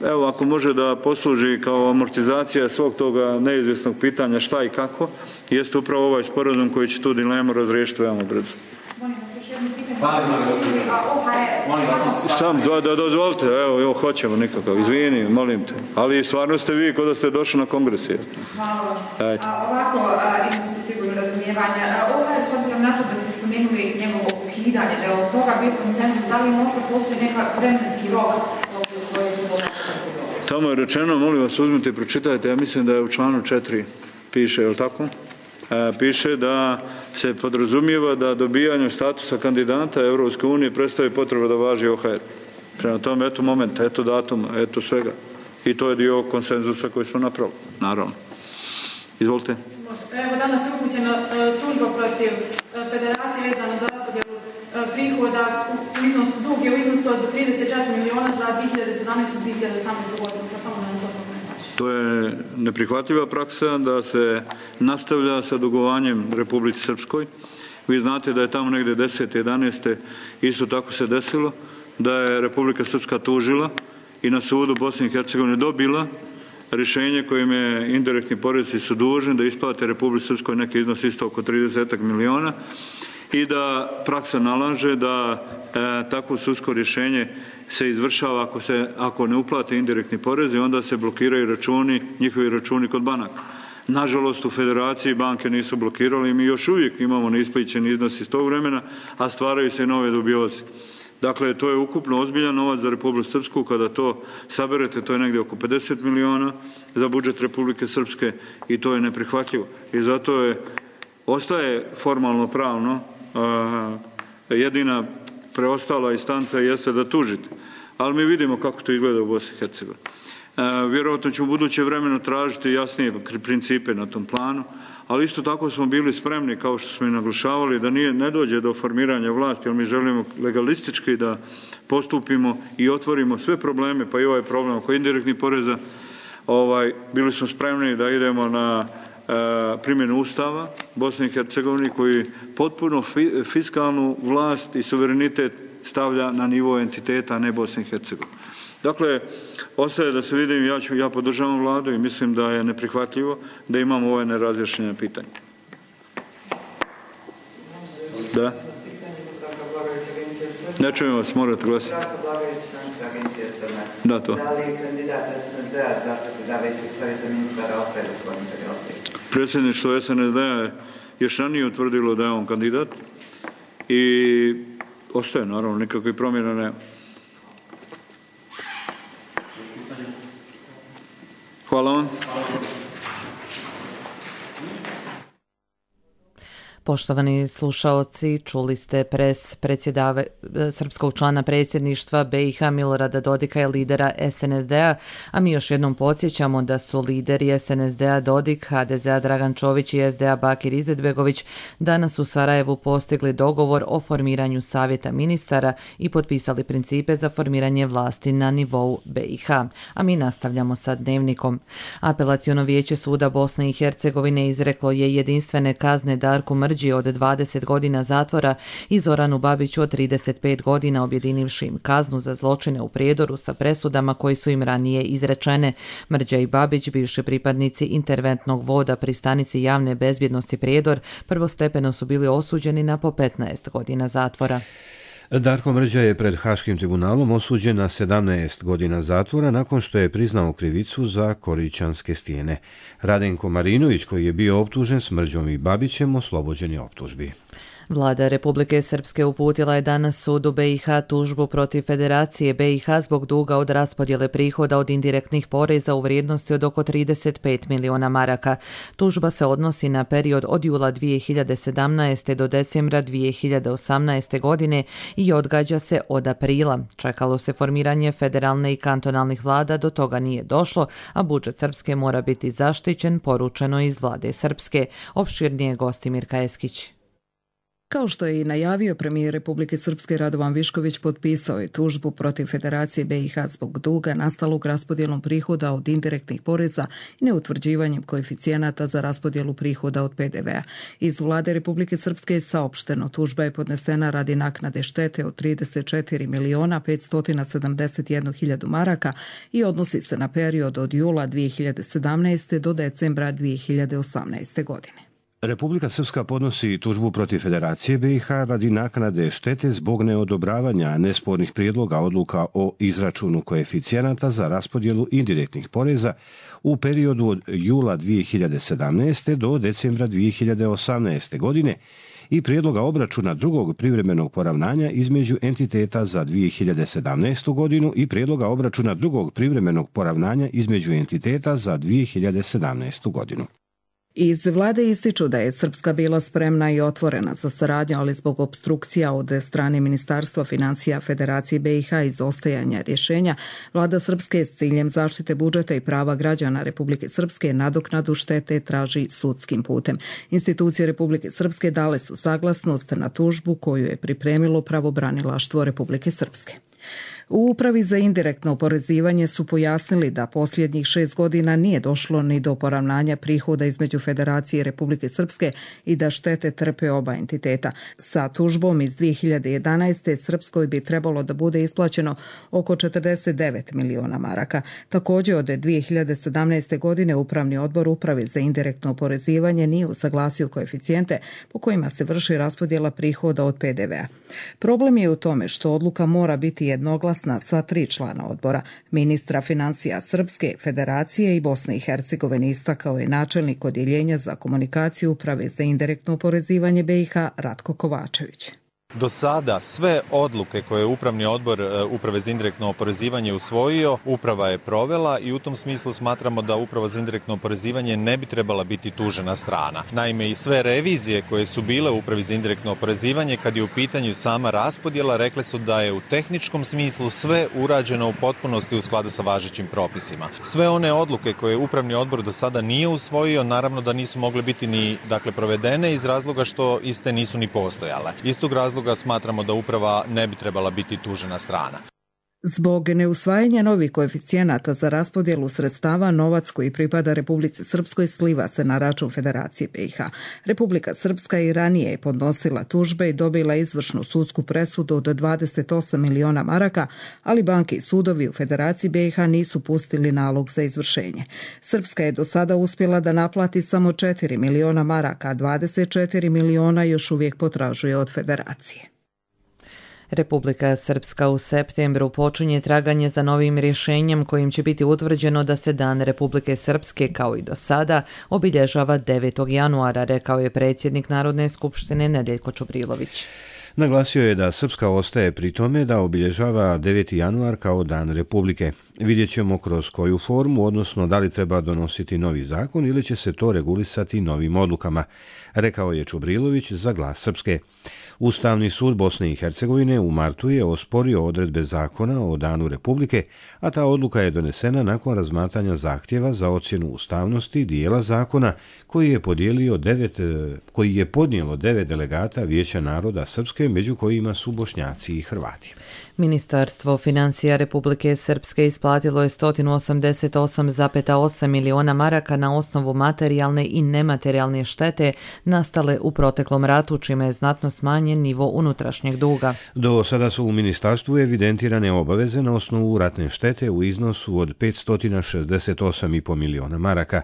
Evo, ako može da posluži kao amortizacija svog toga neizvjesnog pitanja šta i kako, jeste upravo ovaj sporazum koji će tu dilemu razriješiti veoma brzo. Molim vas još jedno pitanje. OHR Sam, da dozvolite, evo, hoćemo nikakav, izvini, molim te. Ali stvarno ste vi kod da ste došli na kongres. Hvala. Ovako, imate sigurno razumijevanja. OHR, s obzirom na to da ste spomenuli njegovo ukidanje, da je od toga bio konsenzus, da li možda postoji neka vremenski rok koji je bilo Tamo je rečeno, molim vas, uzmite i pročitajte, ja mislim da je u članu 4 piše, je li tako? Piše da se podrazumijeva da dobijanjem statusa kandidata Europske unije predstavi potreba da važi OHR. Prema tome, eto momenta, eto datuma, eto svega. I to je dio konsenzusa koji smo napravili, naravno. Izvolite. Evo, danas je upućena tužba protiv federacije vezano za raspodjelu prihoda, dug je u iznosu od 34 miliona za 2017. i 2018. godinu, pa samo na to. To je neprihvatljiva praksa da se nastavlja sa dugovanjem Republici Srpskoj. Vi znate da je tamo negdje 10. 11. isto tako se desilo, da je Republika Srpska tužila i na sudu Bosne i Hercegovine dobila rješenje kojim je indirektni porezi su dužni da isplate Republici Srpskoj neki iznos isto oko 30 miliona i da praksa nalaže da takvo sudsko rješenje se izvršava ako ne uplate indirektni porezi, onda se blokiraju računi, njihovi računi kod banaka. Nažalost, u federaciji banke nisu blokirali i mi još uvijek imamo neisplaćeni iznos iz tog vremena, a stvaraju se nove dubioze. Dakle, to je ukupno ozbiljan novac za Republiku Srpsku. Kada to saberete, to je negdje oko 50 miliona za budžet Republike Srpske i to je neprihvatljivo. I zato ostaje formalno pravno jedina preostala instanca jeste da tužite. Ali mi vidimo kako to izgleda u Bosni i Hercegovini. Vjerojatno ću u buduće vremenu tražiti jasnije principe na tom planu, ali isto tako smo bili spremni, kao što smo i naglašavali, da ne dođe do formiranja vlasti, jer mi želimo legalistički da postupimo i otvorimo sve probleme, pa i ovaj problem oko indirektnih poreza. Bili smo spremni da idemo na primjenu Ustava Bosne i Hercegovine koji potpuno fiskalnu vlast i suverenitet stavlja na nivo entiteta, a ne Bosne i Hercegovine. Dakle, ostaje da se vidim, ja podržavam vladu i mislim da je neprihvatljivo da imamo ove nerazjašnjene pitanje. Da? Ne čujem vas, morate glasiti. Da, to. Da li kandidat SNSD-a za predsjedavajućeg savjeta ministara ostaje gospodin Perioti? Predsjedništvo SNSD-a još ranije utvrdilo da je on kandidat i ostaje, naravno, nikakvih promjena nema. Hvala vam. Poštovani slušaoci, čuli ste srpskog člana predsjedništva BiH Milorada Dodika i lidera SNSD-a, a mi još jednom podsjećamo da su lideri SNSD-a Dodik, HDZ-a Dragan Čović i SDA Bakir Izetbegović danas u Sarajevu postigli dogovor o formiranju savjeta ministara i potpisali principe za formiranje vlasti na nivou BiH. A mi nastavljamo sa dnevnikom. Apelaciono vijeće suda Bosne i Hercegovine izreklo je jedinstvene kazne Darku Mrđi od 20 godina zatvora i Zoranu Babiću od 35 godina, objedinivši im kaznu za zločine u Prijedoru sa presudama koji su im ranije izrečene. Mrđa i Babić, bivši pripadnici interventnog voda pri stanici javne bezbjednosti Prijedor, prvostepeno su bili osuđeni na po 15 godina zatvora. Darko Mrđa je pred Haškim tribunalom osuđen na 17 godina zatvora nakon što je priznao krivicu za Korićanske stijene. Radenko Marinović, koji je bio optužen s Mrđom i Babićem, oslobođen je optužbi. Vlada Republike Srpske uputila je danas sudu BiH tužbu protiv Federacije BiH zbog duga od raspodjele prihoda od indirektnih poreza u vrijednosti od oko 35 miliona maraka. Tužba se odnosi na period od jula 2017. do decembra 2018. godine i odgađa se od aprila. Čekalo se formiranje federalne i kantonalnih vlada, do toga nije došlo, a budžet Srpske mora biti zaštićen, poručeno iz vlade Srpske. Opširnije Gostimir Kajeskić. Kao što je i najavio, premijer Republike Srpske Radovan Višković potpisao je tužbu protiv Federacije BiH zbog duga nastalog raspodjelom prihoda od indirektnih poreza i neutvrđivanjem koeficijenata za raspodjelu prihoda od PDV-a. Iz vlade Republike Srpske je saopšteno, tužba je podnesena radi naknade štete od 34 miliona 571 hiljadu maraka i odnosi se na period od jula 2017. do decembra 2018. godine. Republika Srpska podnosi tužbu protiv Federacije BiH radi naknade štete zbog neodobravanja nespornih prijedloga odluka o izračunu koeficijenata za raspodjelu indirektnih poreza u periodu od jula 2017. do decembra 2018. godine i prijedloga obračuna drugog privremenog poravnanja između entiteta za 2017. godinu i prijedloga obračuna drugog privremenog poravnanja između entiteta za 2017. godinu. Iz vlade ističu da je Srpska bila spremna i otvorena za saradnju, ali zbog opstrukcija od strane Ministarstva financija Federacije BiH i izostajanja rješenja, vlada Srpske s ciljem zaštite budžeta i prava građana Republike Srpske nadoknadu štete traži sudskim putem. Institucije Republike Srpske dale su saglasnost na tužbu koju je pripremilo pravobranilaštvo Republike Srpske. U Upravi za indirektno oporezivanje su pojasnili da posljednjih 6 godina nije došlo ni do poravnanja prihoda između Federacije i Republike Srpske i da štete trpe oba entiteta. Sa tužbom iz 2011. Srpskoj bi trebalo da bude isplaćeno oko 49 miliona maraka. Također od 2017. godine Upravni odbor Uprave za indirektno oporezivanje nije usaglasio koeficijente po kojima se vrši raspodjela prihoda od PDV-a. Problem je u tome što odluka mora biti jednoglasna sva 3 člana odbora. Ministra financija Srpske, Federacije i Bosne i Hercegovine istakao je načelnik odjeljenja za komunikaciju Uprave za indirektno oporezivanje BiH Ratko Kovačević. Do sada sve odluke koje je Upravni odbor Uprave za indirektno oporezivanje usvojio, uprava je provela i u tom smislu smatramo da Uprava za indirektno oporezivanje ne bi trebala biti tužena strana. Naime, i sve revizije koje su bile u Upravi za indirektno oporezivanje, kad je u pitanju sama raspodjela, rekle su da je u tehničkom smislu sve urađeno u potpunosti u skladu sa važećim propisima. Sve one odluke koje Upravni odbor do sada nije usvojio, naravno da nisu mogle biti ni provedene iz razloga što iste nisu ni postojale. Istog razloga smatramo da uprava ne bi trebala biti tužena strana. Zbog neusvajanja novih koeficijenata za raspodjelu sredstava, novac koji pripada Republici Srpskoj sliva se na račun Federacije BiH. Republika Srpska i ranije je podnosila tužbe i dobila izvršnu sudsku presudu od 28 miliona maraka, ali banke i sudovi u Federaciji BiH nisu pustili nalog za izvršenje. Srpska je do sada uspjela da naplati samo 4 miliona maraka, a 24 miliona još uvijek potražuje od Federacije. Republika Srpska u septembru počinje traganje za novim rješenjem kojim će biti utvrđeno da se Dan Republike Srpske, kao i do sada, obilježava 9. januara, rekao je predsjednik Narodne skupštine Nedeljko Čubrilović. Naglasio je da Srpska ostaje pri tome da obilježava 9. januar kao Dan Republike. Vidjet ćemo kroz koju formu, odnosno da li treba donositi novi zakon ili će se to regulisati novim odlukama, rekao je Čubrilović za Glas Srpske. Ustavni sud Bosne i Hercegovine u martu je osporio odredbe zakona o Danu Republike, a ta odluka je donesena nakon razmatranja zahtjeva za ocjenu ustavnosti dijela zakona koji je podnijelo 9 delegata Vijeća naroda Srpske, među kojima su Bošnjaci i Hrvati. Ministarstvo financija Republike Srpske isplatilo je 188,8 miliona maraka na osnovu materijalne i nematerijalne štete nastale u proteklom ratu, čime je znatno smanjen nivo unutrašnjeg duga. Do sada su u ministarstvu evidentirane obaveze na osnovu ratne štete u iznosu od 568,5 miliona maraka.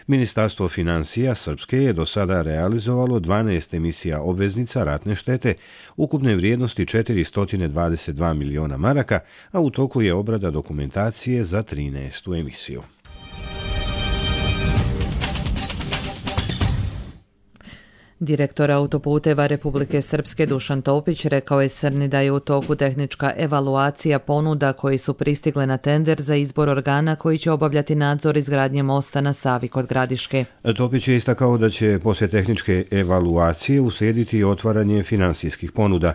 Ministarstvo financija Srpske je do sada realizovalo 12 emisija obveznica ratne štete ukupne vrijednosti 422 miliona maraka, a u toku je obrada dokumentacije za 13. emisiju. Direktor autoputeva Republike Srpske Dušan Topić rekao je Srni da je u toku tehnička evaluacija ponuda koji su pristigle na tender za izbor organa koji će obavljati nadzor izgradnje mosta na Savi kod Gradiške. Topić je istakao da će poslije tehničke evaluacije uslijediti otvaranje finansijskih ponuda.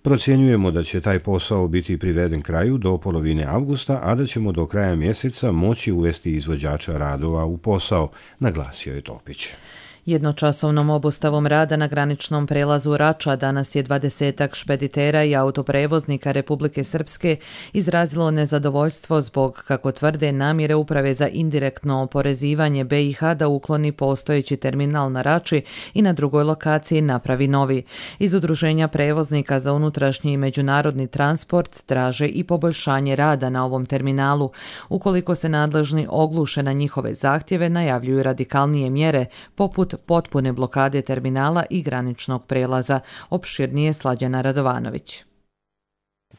Procjenjujemo da će taj posao biti priveden kraju do polovine avgusta, a da ćemo do kraja mjeseca moći uvesti izvođača radova u posao, naglasio je Topić. Jednočasovnom obustavom rada na graničnom prelazu Rača danas je 20-ak špeditera i autoprevoznika Republike Srpske izrazilo nezadovoljstvo zbog, kako tvrde, namjere Uprave za indirektno oporezivanje BiH da ukloni postojeći terminal na Rači i na drugoj lokaciji napravi novi. Iz Udruženja prevoznika za unutrašnji i međunarodni transport traže i poboljšanje rada na ovom terminalu. Ukoliko se nadležni ogluše na njihove zahtjeve, najavljuju radikalnije mjere, poput od potpune blokade terminala i graničnog prelaza. Opširnije Slađana Radovanović.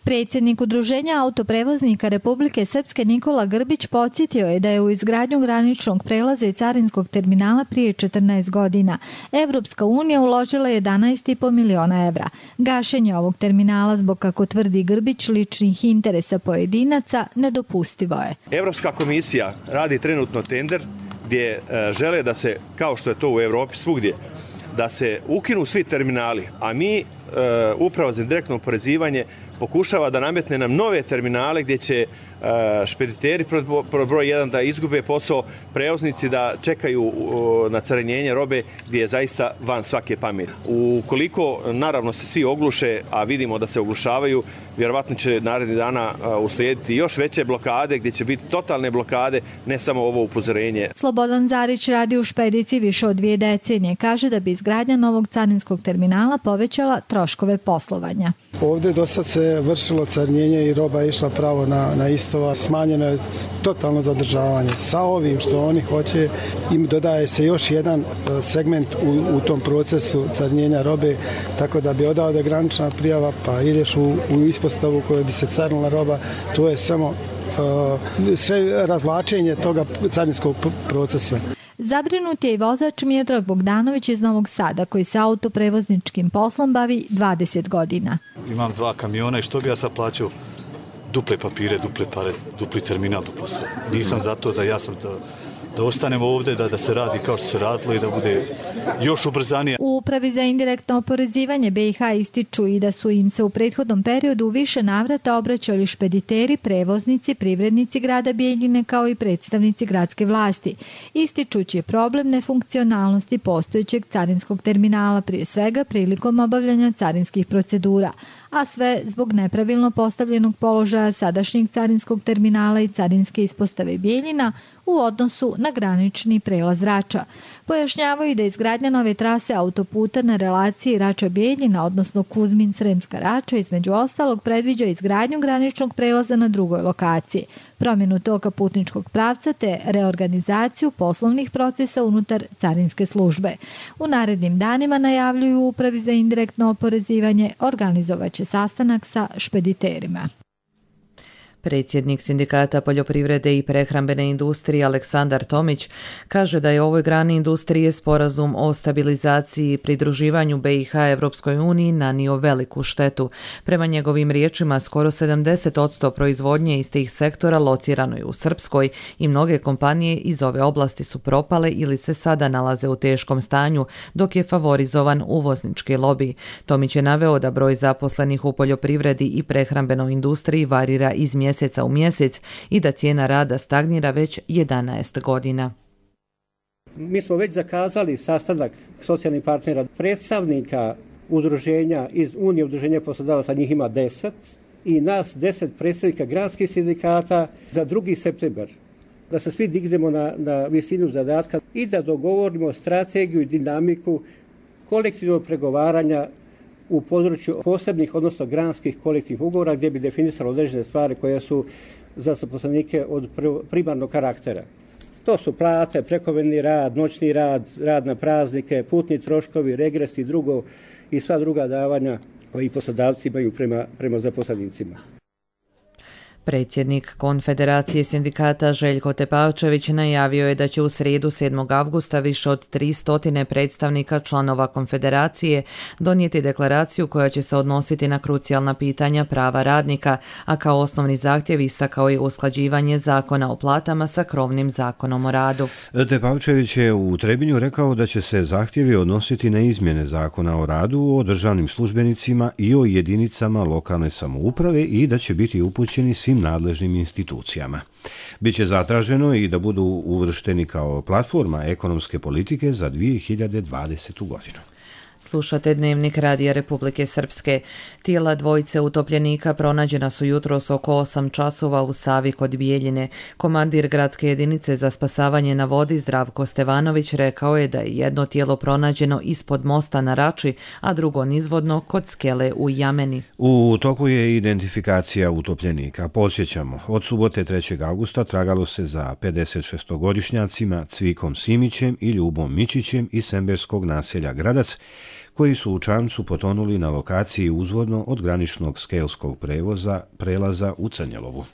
Predsjednik Udruženja autoprevoznika Republike Srpske Nikola Grbić podsjetio je da je u izgradnju graničnog prelaza i carinskog terminala prije 14 godina Evropska unija uložila 11,5 miliona evra. Gašenje ovog terminala zbog, kako tvrdi Grbić, ličnih interesa pojedinaca nedopustivo je. Evropska komisija radi trenutno tender gdje žele da se, kao što je to u Evropi svugdje, da se ukinu svi terminali, a mi, Uprava za indirektno oporezivanje, pokušava da nametne nam nove terminale gdje će špediteri broj 1 da izgube posao, prevoznici da čekaju na carinjenje robe gdje je zaista van svake pameti. Ukoliko naravno se svi ogluše, a vidimo da se oglušavaju, vjerovatno će narednih dana uslijediti još veće blokade gdje će biti totalne blokade, ne samo ovo upozorenje. Slobodan Zarić radi u špediciji više od 2 decenije. Kaže da bi izgradnja novog carinskog terminala povećala troškove poslovanja. Ovdje do sad se vršilo carinjenje i roba je išla pravo na istova. Smanjeno je totalno zadržavanje. Sa ovim što oni hoće, im dodaje se još jedan segment u tom procesu carinjenja robe, tako da bi odavde granična prijava, pa ideš u ispostavu kojoj bi se carinila roba. To je samo sve razvlačenje toga carinskog procesa. Zabrinut je i vozač Miodrag Bogdanović iz Novog Sada, koji se autoprevozničkim poslom bavi 20 godina. Imam 2 kamiona i što bi ja sad plaćao? Duple papire, duple pare, dupli terminal, duplo sve. Nisam zato da ja sam da ostanemo ovdje, da se radi kao što se radilo i da bude još ubrzanije. U Upravi za indirektno oporezivanje BiH ističu i da su im se u prethodnom periodu u više navrata obraćali špediteri, prevoznici, privrednici grada Bijeljine kao i predstavnici gradske vlasti, ističući problem nefunkcionalnosti postojećeg carinskog terminala, prije svega prilikom obavljanja carinskih procedura, a sve zbog nepravilno postavljenog položaja sadašnjeg carinskog terminala i carinske ispostave Bijeljina u odnosu na granični prelaz Rača. Pojašnjavaju da izgradnja nove trase autoputa na relaciji Rača-Bijeljina, odnosno Kuzmin-Sremska Rača, između ostalog predviđa izgradnju graničnog prelaza na drugoj lokaciji, promjenu toka putničkog pravca te reorganizaciju poslovnih procesa unutar carinske službe. U narednim danima, najavljuju u Upravi za indirektno oporezivanje, organizovaće sastanak sa špediterima. Predsjednik Sindikata poljoprivrede i prehrambene industrije Aleksandar Tomić kaže da je ovoj grani industrije sporazum o stabilizaciji i pridruživanju BiH Evropskoj uniji nanio veliku štetu. Prema njegovim riječima, skoro 70% proizvodnje iz tih sektora locirano je u Srpskoj i mnoge kompanije iz ove oblasti su propale ili se sada nalaze u teškom stanju, dok je favorizovan uvoznički lobi. Tomić je naveo da broj zaposlenih u poljoprivredi i prehrambenoj industriji varira iz mjeseca u mjesec i da cijena rada stagnira već 11 godina. Mi smo već zakazali sastanak socijalnih partnera, predstavnika udruženja iz Unije udruženja poslodavaca, njih ima 10 i nas 10 predstavnika granskih sindikata za 2. septembar. Da se svi dignemo na visinu zadatka i da dogovorimo strategiju i dinamiku kolektivnog pregovaranja u području posebnih, odnosno granskih kolektivnih ugovora gdje bi definisalo određene stvari koje su za zaposlenike od primarnog karaktera. To su plate, prekovremeni rad, noćni rad, rad na praznike, putni troškovi, regres i drugo i sva druga davanja koji poslodavci imaju prema zaposlenicima. Predsjednik Konfederacije sindikata Željko Tepavčević najavio je da će u srijedu 7. avgusta više od 300 predstavnika članova Konfederacije donijeti deklaraciju koja će se odnositi na krucijalna pitanja prava radnika, a kao osnovni zahtjev istakao je usklađivanje zakona o platama sa krovnim zakonom o radu. Tepavčević je u Trebinju rekao da će se zahtjevi odnositi na izmjene zakona o radu, o državnim službenicima i o jedinicama lokalne samouprave i da će biti upućeni svim nadležnim institucijama. Biće zatraženo i da budu uvršteni kao platforma ekonomske politike za 2020. godinu. Slušate Dnevnik Radija Republike Srpske. Tijela dvojice utopljenika pronađena su jutros oko 8 časova u Savi kod Bijeljine. Komandir gradske jedinice za spasavanje na vodi Zdravko Stevanović rekao je da je jedno tijelo pronađeno ispod mosta na Rači, a drugo nizvodno kod skele u Jameni. U toku je identifikacija utopljenika. Podsjećamo, od subote 3. augusta tragalo se za 56-godišnjacima Cvikom Simićem i Ljubom Mićićem iz semberskog naselja Gradac, koji su u čamcu potonuli na lokaciji uzvodno od graničnog skelskog prelaza u Crnjelovu.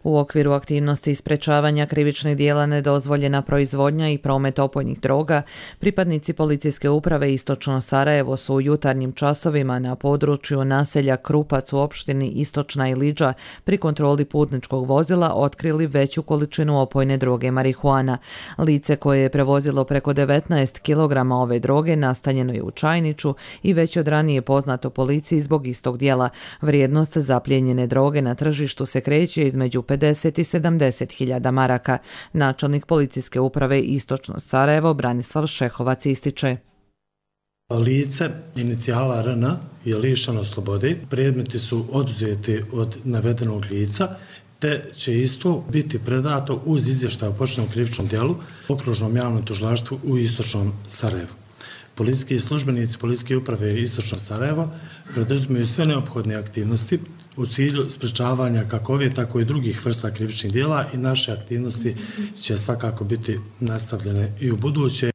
U okviru aktivnosti sprečavanja krivičnih dijela nedozvoljena proizvodnja i promet opojnih droga, pripadnici policijske uprave Istočno Sarajevo su u jutarnjim časovima na području naselja Krupac u opštini Istočna Ilidža pri kontroli putničkog vozila otkrili veću količinu opojne droge marihuana. Lice koje je prevozilo preko 19 kg ove droge nastanjeno je u Čajniću i već od ranije poznato policiji zbog istog dijela. Vrijednost zaplijenjene droge na tržištu se kreće između 50 i 70 hiljada maraka. Načelnik policijske uprave Istočno Sarajevo Branislav Šehovac ističe. Lice inicijala RN je lišeno slobode, predmeti su oduzeti od navedenog lica, te će isto biti predato uz izvještaj o počinjenom krivičnom djelu Okružnom javnom tužilaštvu u Istočnom Sarajevu. Policijski službenici Policijske uprave Istočno Sarajevo preduzimaju sve neophodne aktivnosti u cilju sprečavanja kako ove, tako i drugih vrsta krivičnih djela i naše aktivnosti će svakako biti nastavljene i u buduće.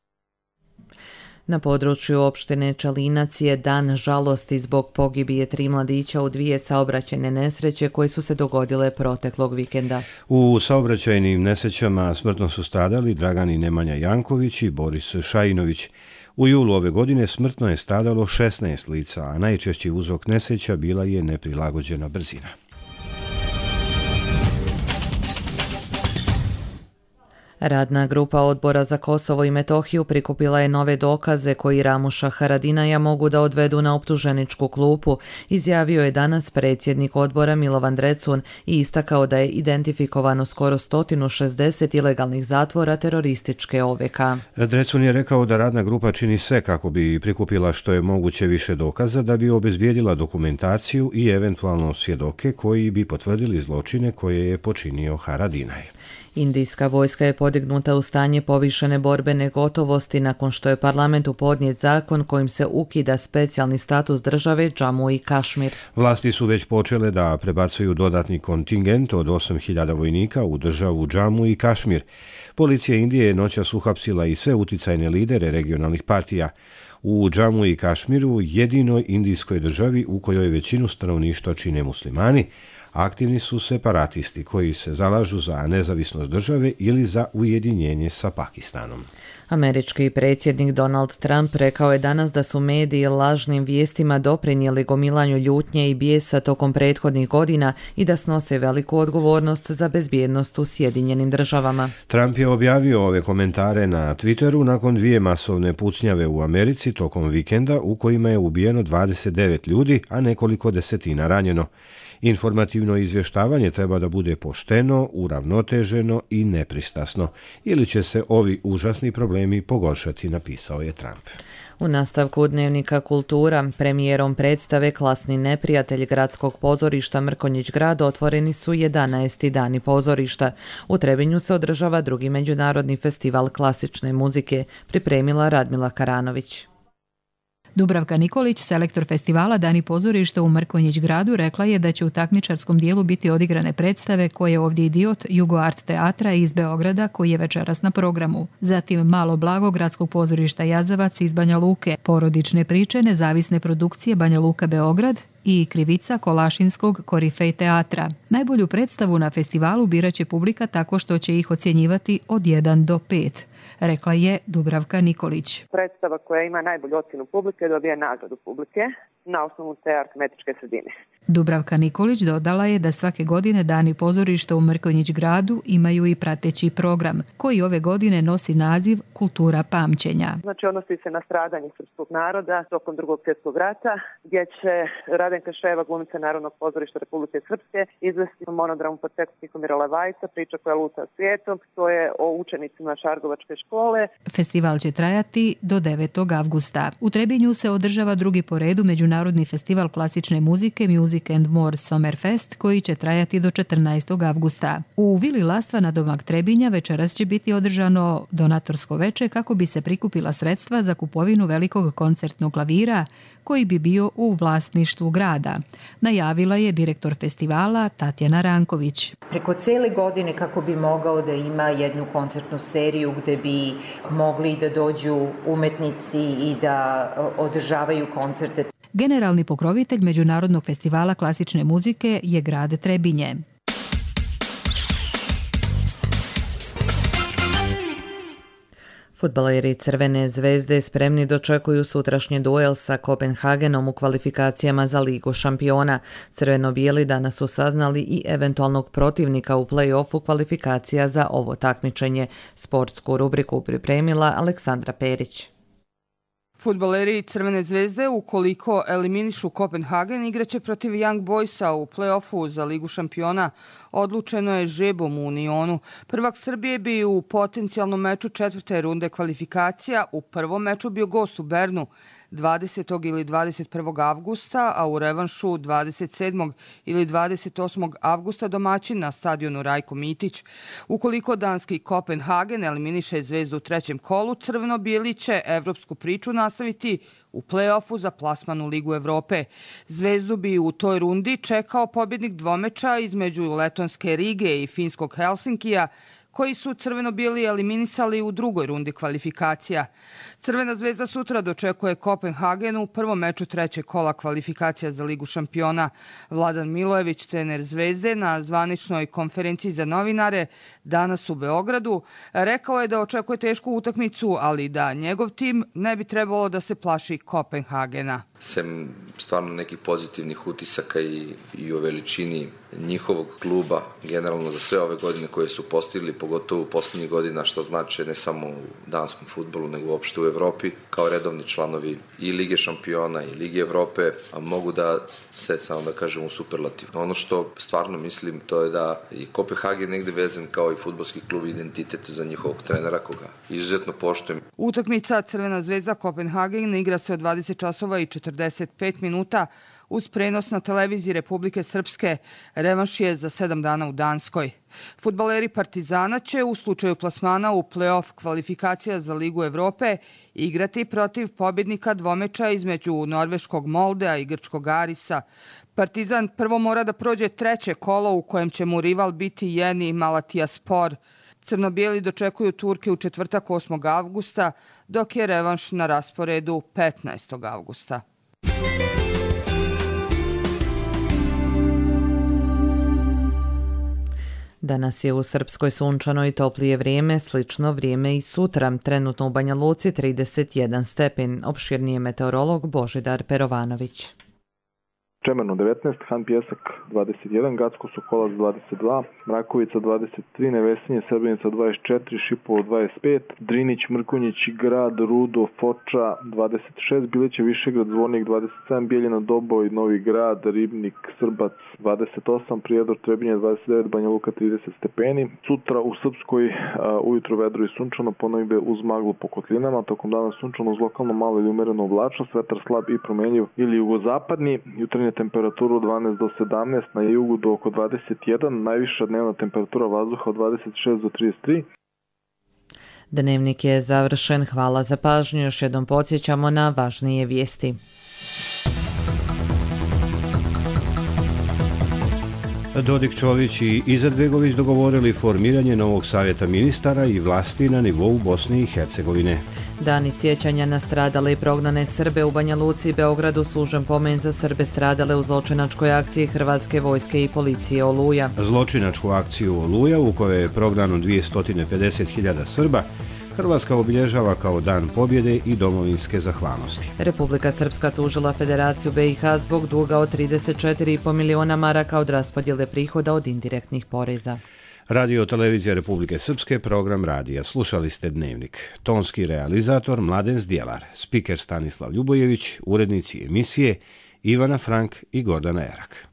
Na području opštine Čalinac je dan žalosti zbog pogibije 3 mladića u 2 saobraćajne nesreće koje su se dogodile proteklog vikenda. U saobraćajnim nesrećama smrtno su stradali Dragan i Nemanja Janković i Boris Šajinović. U julu ove godine smrtno je stradalo 16 lica, a najčešći uzrok nesreća bila je neprilagođena brzina. Radna grupa Odbora za Kosovo i Metohiju prikupila je nove dokaze koji Ramuša Haradinaja mogu da odvedu na optuženičku klupu, izjavio je danas predsjednik odbora Milovan Drecun i istakao da je identifikovano skoro 160 ilegalnih zatvora terorističke OVK. Drecun je rekao da radna grupa čini sve kako bi prikupila što je moguće više dokaza da bi obezbijedila dokumentaciju i eventualno svjedoke koji bi potvrdili zločine koje je počinio Haradinaj. Indijska vojska je podignuta u stanje povišene borbene gotovosti nakon što je parlamentu podnijet zakon kojim se ukida specijalni status države Džamu i Kašmir. Vlasti su već počele da prebacuju dodatni kontingent od 8.000 vojnika u državu Džamu i Kašmir. Policija Indije je noćas uhapsila i sve uticajne lidere regionalnih partija. U Džamu i Kašmiru, jedinoj indijskoj državi u kojoj većinu stanovništva čine muslimani, aktivni su separatisti koji se zalažu za nezavisnost države ili za ujedinjenje sa Pakistanom. Američki predsjednik Donald Trump rekao je danas da su mediji lažnim vijestima doprinijeli gomilanju ljutnje i bijesa tokom prethodnih godina i da snose veliku odgovornost za bezbjednost u Sjedinjenim državama. Trump je objavio ove komentare na Twitteru nakon 2 masovne pucnjave u Americi tokom vikenda u kojima je ubijeno 29 ljudi, a nekoliko desetina ranjeno. Informativno izvještavanje treba da bude pošteno, uravnoteženo i nepristrasno, ili će se ovi užasni problemi pogoršati, napisao je Trump. U nastavku Dnevnika Kultura, premijerom predstave Klasni neprijatelj gradskog pozorišta Mrkonjić Grad otvoreni su 11. dani pozorišta. U Trebinju se održava 2. međunarodni festival klasične muzike, pripremila Radmila Karanović. Dubravka Nikolić, selektor festivala Dani pozorišta u Mrkonjić Gradu, rekla je da će u takmičarskom dijelu biti odigrane predstave koje je ovdje idiot Jugo Art teatra iz Beograda koji je večeras na programu. Zatim Malo blago gradskog pozorišta Jazavac iz Banja Luke, porodične priče nezavisne produkcije Banja Luka Beograd i Krivica Kolašinskog Korifej teatra. Najbolju predstavu na festivalu biraće publika tako što će ih ocjenjivati od 1 do 5. Rekla je Dubravka Nikolić. Predstava koja ima najbolju ocjenu publike dobija nagradu publike na osnovu te aritmetičke sredine. Dubravka Nikolić dodala je da svake godine Dani pozorišta u Mrkonjić Gradu imaju i prateći program, koji ove godine nosi naziv Kultura pamćenja. Znači odnosi se na stradanje srpskog naroda tokom Drugog svjetskog rata, gdje će Radenka Ševa, glumica Narodnog pozorišta Republike Srpske, izvesti monodramu pod tekstom Tihomira Levajca, priča koja luta svijetom. To je o učenicima Šargovačke škole. Festival će trajati do 9. avgusta. U Trebinju se održava drugi po redu Međunarodni festival klasične muzike Music and More Summerfest koji će trajati do 14. avgusta. U Vili Lastva na domak Trebinja večeras će biti održano donatorsko veče kako bi se prikupila sredstva za kupovinu velikog koncertnog klavira koji bi bio u vlasništvu grada. Najavila je direktor festivala Tatjana Ranković. Preko cele godine kako bi mogao da ima jednu koncertnu seriju gde bi mogli da dođu umetnici i da održavaju koncerte. Generalni pokrovitelj Međunarodnog festivala klasične muzike je grad Trebinje. Fudbaleri Crvene zvezde spremni dočekuju sutrašnji duel sa Kopenhagenom u kvalifikacijama za Ligu šampiona. Crveno-bijeli danas su saznali i eventualnog protivnika u play-offu kvalifikacija za ovo takmičenje. Sportsku rubriku pripremila Aleksandra Perić. Fudbaleri Crvene zvezde, ukoliko eliminišu Kopenhagen, igraće protiv Young Boysa u play-offu za Ligu šampiona. Odlučeno je žrebom u Unionu. Prvak Srbije bi u potencijalnom meču četvrte runde kvalifikacija u prvom meču bio gost u Bernu 20. ili 21. avgusta, a u revanšu 27. ili 28. avgusta domaćin na stadionu Rajko Mitić. Ukoliko danski Kopenhagen eliminiše Zvezdu u trećem kolu, crveno-bijeli će evropsku priču nastaviti u play-offu za plasman u Ligu Evrope. Zvezdu bi u toj rundi čekao pobjednik dvomeča između letonske Rige i finskog Helsinkija, koji su crveno-bijeli eliminisali u drugoj rundi kvalifikacija. Crvena zvezda sutra dočekuje Kopenhagen u prvom meču trećeg kola kvalifikacija za Ligu šampiona. Vladan Milojević, trener Zvezde, na zvaničnoj konferenciji za novinare danas u Beogradu, rekao je da očekuje tešku utakmicu, ali da njegov tim ne bi trebalo da se plaši Kopenhagena. Sem stvarno nekih pozitivnih utisaka i o veličini njihovog kluba, generalno za sve ove godine koje su postigli, pogotovo u posljednjih godina, što znači ne samo u danskom fudbalu, nego uopšte u Evropi, kao redovni članovi i Lige šampiona i Lige Evrope, a mogu da se, samo da kažem, u superlativ. Ono što stvarno mislim, to je da i Kopenhagen negde vezan kao i fudbalski klub identitet za njihovog trenera, koga izuzetno poštujem. Utakmica Crvena zvezda Kopenhagen igra se od 20 časova i 45 minuta uz prenos na televiziji Republike Srpske. Revanš je za 7 dana u Danskoj. Fudbaleri Partizana će u slučaju plasmana u play-off kvalifikacija za Ligu Evrope igrati protiv pobjednika dvomeča između norveškog Moldea i grčkog Arisa. Partizan prvo mora da prođe treće kolo u kojem će mu rival biti Yeni Malatyaspor. Crno-bijeli dočekuju Turke u četvrtak 8. avgusta, dok je revanš na rasporedu 15. avgusta. Danas je u Srpskoj sunčano i toplije vrijeme, slično vrijeme i sutra. Trenutno u Banja Luci 31 stepen. Opširnije meteorolog Božidar Perovanović. Čemerno 19, Han Pjesak 21, Gacko Sokolac 22, Mrakovica 23, Nevesinje, Srbenica 24, Šipovo 25, Drinić, Mrkonjić, Grad, Rudo, Foča 26, Bileće, Višegrad, Zvornik 27, Bijeljina, Doboj, Novi Grad, Ribnik, Srbac 28, Prijedor, Trebinje 29, Banja Luka 30 stepeni. Sutra u Srpskoj ujutro vedro i sunčano, ponegde uz maglu po kotlinama, tokom dana sunčano uz lokalno malo ili umereno oblačnost, vetar slab i promenljiv ili jugozapadni, jutarnje temperaturu 12 do 17, na jugu do oko 21, najviša dnevna temperatura vazduha od 26 do 33. Dnevnik je završen. Hvala za pažnju. Još jednom podsjećamo na važnije vijesti. Dodik, Čović i Izetbegović dogovorili formiranje novog savjeta ministara i vlasti na nivou Bosne i Hercegovine. Dani sjećanja na stradale i prognane Srbe u Banja Luci i Beogradu služen pomen za Srbe stradale u zločinačkoj akciji Hrvatske vojske i policije Oluja. Zločinačku akciju Oluja, u kojoj je prognano 250.000 Srba, Hrvatska obilježava kao dan pobjede i domovinske zahvalnosti. Republika Srpska tužila Federaciju BiH zbog duga od 34,5 miliona maraka od raspodjele prihoda od indirektnih poreza. Radio Televizija Republike Srpske, program radija. Slušali ste Dnevnik. Tonski realizator Mladen Zdjelar, spiker Stanislav Ljubojević, urednici emisije Ivana Frank i Gordana Erak.